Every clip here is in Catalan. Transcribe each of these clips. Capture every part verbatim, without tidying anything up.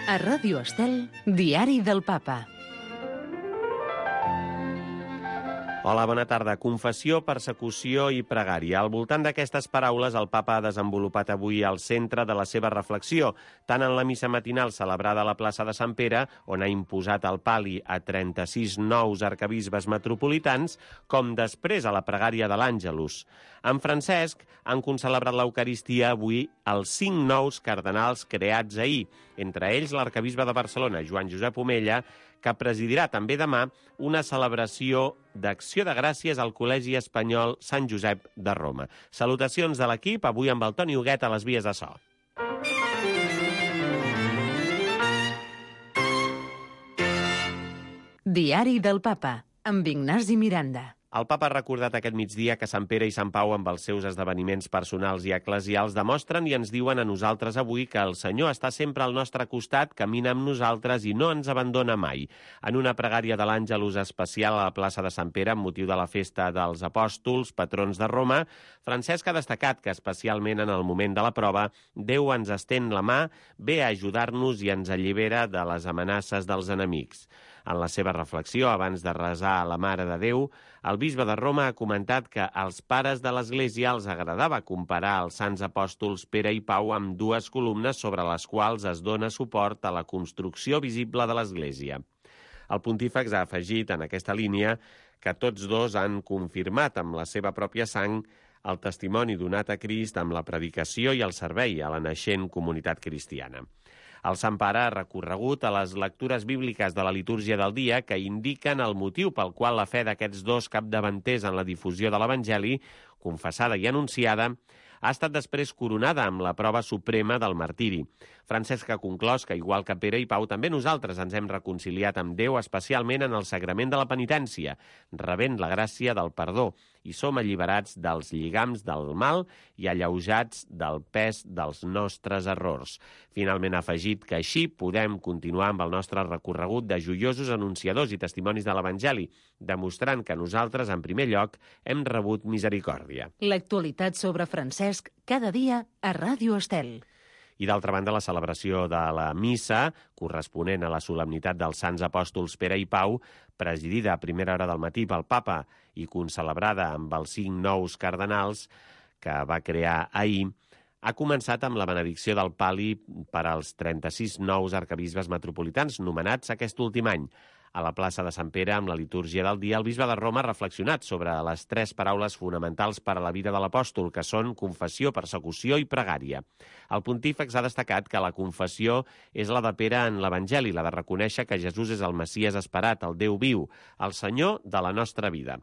A Ràdio Estel, Diari del Papa. Hola, bona tarda. Confessió, persecució i pregària. Al voltant d'aquestes paraules, el papa ha desenvolupat avui el centre de la seva reflexió, tant en la missa matinal celebrada a la plaça de Sant Pere, on ha imposat el pal·li a trenta-sis nous arquebisbes metropolitans, com després a la pregària de l'Àngelus. En Francesc han concelebrat l'Eucaristia avui els cinc nous cardenals creats ahir, entre ells l'arquebisbe de Barcelona, Joan Josep Omella, que presidirà també demà una celebració d'acció de gràcies al Col·legi Espanyol Sant Josep de Roma. Salutacions de l'equip, avui amb el Toni Huguet a les vies de so. Diari del Papa, amb Ignasi Miranda. El papa ha recordat aquest migdia que Sant Pere i Sant Pau, amb els seus esdeveniments personals i eclesials, demostren i ens diuen a nosaltres avui que el Senyor està sempre al nostre costat, camina amb nosaltres i no ens abandona mai. En una pregària de l'Àngelus especial a la plaça de Sant Pere, amb motiu de la festa dels apòstols, patrons de Roma, Francesc ha destacat que, especialment en el moment de la prova, Déu ens estén la mà, ve a ajudar-nos i ens allibera de les amenaces dels enemics. En la seva reflexió, abans de resar a la Mare de Déu, el bisbe de Roma ha comentat que als pares de l'Església els agradava comparar els sants apòstols Pere i Pau amb dues columnes sobre les quals es dona suport a la construcció visible de l'Església. El pontífex ha afegit en aquesta línia que tots dos han confirmat amb la seva pròpia sang el testimoni donat a Crist amb la predicació i el servei a la naixent comunitat cristiana. El Sant Pare ha recorregut a les lectures bíbliques de la litúrgia del dia que indiquen el motiu pel qual la fe d'aquests dos capdavanters en la difusió de l'Evangeli, confessada i anunciada, ha estat després coronada amb la prova suprema del martiri. Francesc ha conclòs que, igual que Pere i Pau, també nosaltres ens hem reconciliat amb Déu, especialment en el sagrament de la penitència, rebent la gràcia del perdó, i som alliberats dels lligams del mal i alleujats del pes dels nostres errors. Finalment ha afegit que així podem continuar amb el nostre recorregut de joiosos anunciadors i testimonis de l'Evangeli, demostrant que nosaltres, en primer lloc, hem rebut misericòrdia. L'actualitat sobre Francesc, cada dia a Ràdio Estel. I d'altra banda, la celebració de la missa, corresponent a la solemnitat dels Sants Apòstols Pere i Pau, presidida a primera hora del matí pel Papa i concelebrada amb els cinc nous cardenals que va crear ahir, ha començat amb la benedicció del pal·li per als trenta-sis nous arquebisbes metropolitans nomenats aquest últim any. A la plaça de Sant Pere, amb la litúrgia del dia, el bisbe de Roma ha reflexionat sobre les tres paraules fonamentals per a la vida de l'apòstol, que són confessió, persecució i pregària. El pontífex ha destacat que la confessió és la de Pere en l'Evangeli, la de reconèixer que Jesús és el Messies esperat, el Déu viu, el Senyor de la nostra vida.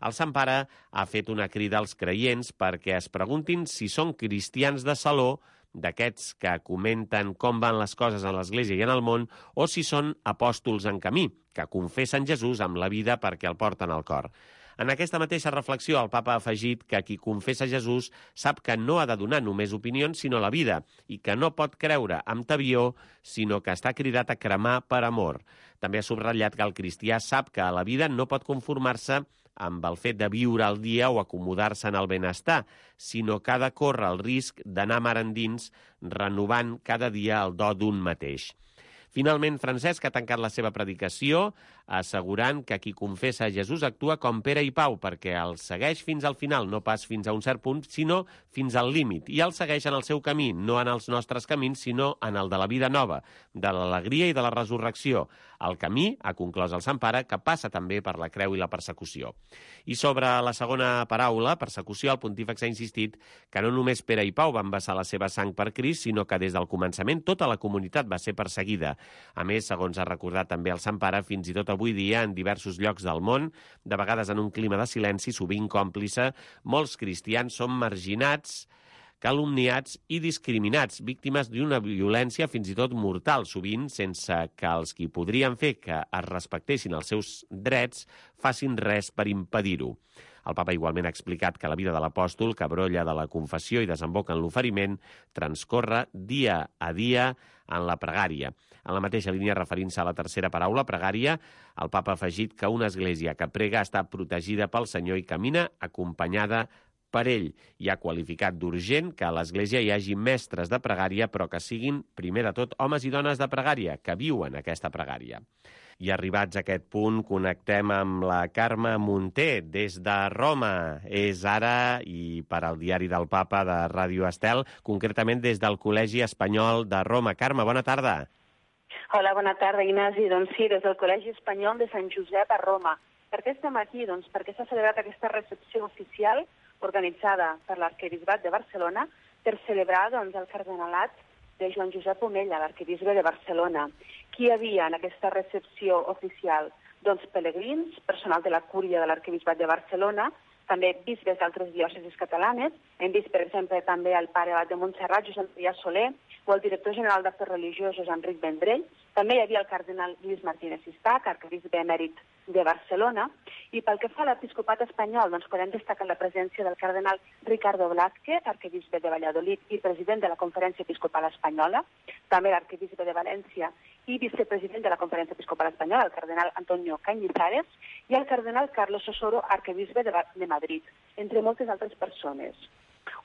El Sant Pare ha fet una crida als creients perquè es preguntin si són cristians de saló, d'aquests que comenten com van les coses en l'Església i en el món, o si són apòstols en camí, que confessen Jesús amb la vida perquè el porten al cor. En aquesta mateixa reflexió, el papa ha afegit que qui confessa Jesús sap que no ha de donar només opinions, sinó la vida, i que no pot creure amb tabió, sinó que està cridat a cremar per amor. També ha subratllat que el cristià sap que a la vida no pot conformar-se amb el fet de viure al dia o acomodar-se en el benestar, sinó que ha de córrer el risc d'anar mar endins, renovant cada dia el do d'un mateix. Finalment, Francesc ha tancat la seva predicació assegurant que qui confessa Jesús actua com Pere i Pau, perquè el segueix fins al final, no pas fins a un cert punt, sinó fins al límit. I el segueix en el seu camí, no en els nostres camins, sinó en el de la vida nova, de l'alegria i de la resurrecció. El camí, ha conclòs el Sant Pare, que passa també per la creu i la persecució. I sobre la segona paraula, persecució, el pontífex ha insistit que no només Pere i Pau van vessar la seva sang per Crist, sinó que des del començament tota la comunitat va ser perseguida. A més, segons ha recordat també el Sant Pare, fins i tot avui dia, en diversos llocs del món, de vegades en un clima de silenci, sovint còmplice, molts cristians són marginats, calumniats i discriminats, víctimes d'una violència fins i tot mortal, sovint sense que els qui podrien fer que es respectessin els seus drets facin res per impedir-ho. El papa igualment ha explicat que la vida de l'apòstol, que brolla de la confessió i desemboca en l'oferiment, transcorre dia a dia en la pregària. En la mateixa línia, referint-se a la tercera paraula, pregària, el papa ha afegit que una església que prega està protegida pel Senyor i camina acompanyada per ell i ha qualificat d'urgent que a l'Església hi hagi mestres de pregària, però que siguin, primer de tot, homes i dones de pregària, que viuen aquesta pregària. I arribats a aquest punt, connectem amb la Carme Munté, des de Roma. És ara, i per al Diari del Papa de Ràdio Estel, concretament des del Col·legi Espanyol de Roma. Carme, bona tarda. Hola, bona tarda, Ignasi. Doncs sí, des del Col·legi Espanyol de Sant Josep a Roma. Per què estem aquí? Doncs perquè s'ha celebrat aquesta recepció oficial organitzada per l'Arquebisbat de Barcelona per celebrar doncs, el cardenalat de Joan Josep Omella, l'arquebisbe de Barcelona. Qui hi havia en aquesta recepció oficial? Doncs pelegrins, personal de la cúria de l'arquebisbat de Barcelona, també bisbes d'altres diòcesis catalanes. Hem vist, per exemple, també el pare abat de Montserrat, Josep Maria Soler, o el director general d'Afers Religiosos, Enric Vendrell. També hi havia el cardenal Lluís Martínez Sistac, arquebisbe emèrit de Barcelona. I pel que fa a l'episcopat espanyol, doncs podem destacar la presència del cardenal Ricardo Blázquez, arquebisbe de Valladolid i president de la Conferència Episcopal Espanyola, també l'arquebisbe de València i vicepresident de la Conferència Episcopal Espanyola, el cardenal Antonio Cañizares, i el cardenal Carlos Osoro, arquebisbe de, de Madrid, entre moltes altres persones.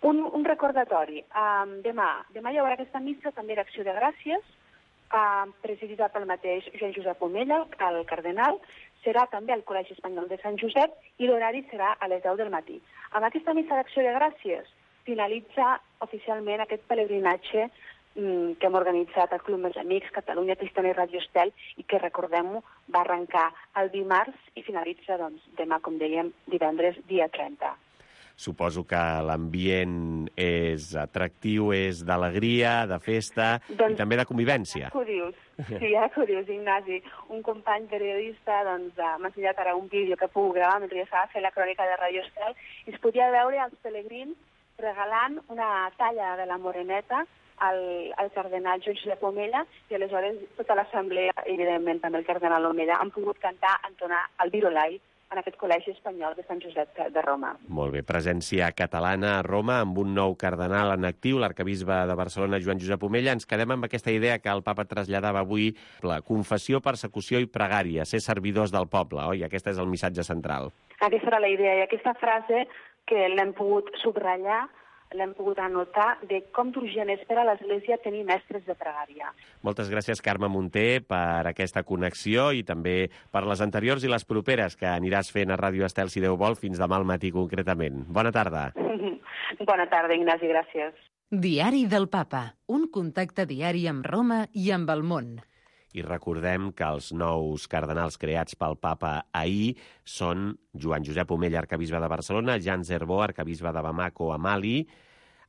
Un, un recordatori. Um, demà, demà hi haurà aquesta missa també d'acció de gràcies, uh, presidida pel mateix Joan Josep Omella, el cardenal. Serà també al Col·legi Espanyol de Sant Josep i l'horari serà a les deu del matí. Amb aquesta missa d'acció de gràcies finalitza oficialment aquest pelegrinatge um, que hem organitzat al Club Més Amics, Catalunya Cristiana i Ràdio Estel, i que, recordem-ho, va arrencar el dimarts i finalitza doncs, demà, com dèiem, divendres, dia trenta. Suposo que l'ambient és atractiu, és d'alegria, de festa doncs, i també de convivència. Ja que ho dius, sí, ja que ho dius, Ignasi. Un company periodista doncs, m'ha ensenyat ara un vídeo que puc gravar mentre jo estava fent la crònica de Ràdio Estel i es podia veure els pelegrins regalant una talla de la moreneta al, al cardenal Joan Josep Omella i aleshores tota l'assemblea, evidentment també el cardenal Omella, han pogut cantar, entonar el Virolai en aquest Col·legi Espanyol de Sant Josep de Roma. Molt bé, presència catalana a Roma amb un nou cardenal en actiu, l'arquebisbe de Barcelona, Joan Josep Omella. Ens quedem amb aquesta idea que el papa traslladava avui, la confessió, persecució i pregària, ser servidors del poble, oi? Aquest és el missatge central. Aquesta era la idea, i aquesta frase que l'hem pogut subratllar, l'hem pogut anotar de com d'urgent és per a l'Església tenir mestres de pregària. Moltes gràcies, Carme Munté, per aquesta connexió i també per les anteriors i les properes que aniràs fent a Ràdio Estel, si Déu vol, fins demà al matí concretament. Bona tarda. Bona tarda, Ignasi, gràcies. Diari del Papa, un contacte diari amb Roma i amb el món. I recordem que els nous cardenals creats pel papa ahir són Joan Josep Omella, arquebisbe de Barcelona, Jan Zerbó, arquebisbe de Bamako a Mali,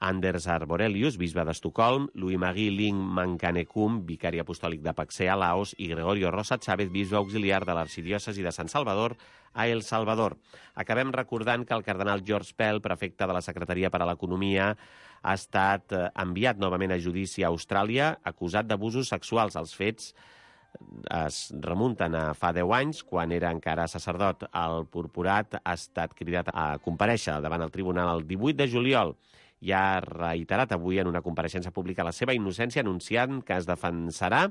Anders Arborelius, bisbe d'Estocolm, Louis-Marie Ling Mankanekum, vicari apostòlic de Paxé a Laos, i Gregorio Rosa Chávez, bisbe auxiliar de l'arxidiòcesi de Sant Salvador a El Salvador. Acabem recordant que el cardenal George Pell, prefecte de la Secretaria per a l'Economia, ha estat enviat novament a judici a Austràlia acusat d'abusos sexuals. Els fets es remunten a fa deu anys, quan era encara sacerdot. El purpurat ha estat cridat a comparèixer davant el tribunal el divuit de juliol i ha reiterat avui en una compareixença pública la seva innocència, anunciant que es defensarà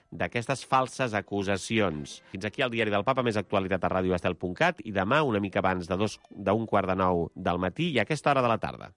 d'aquestes falses acusacions. Fins aquí el Diari del Papa, més actualitat a ràdio estel punt cat, i demà, una mica abans de dos, d'un quart de nou del matí i a aquesta hora de la tarda.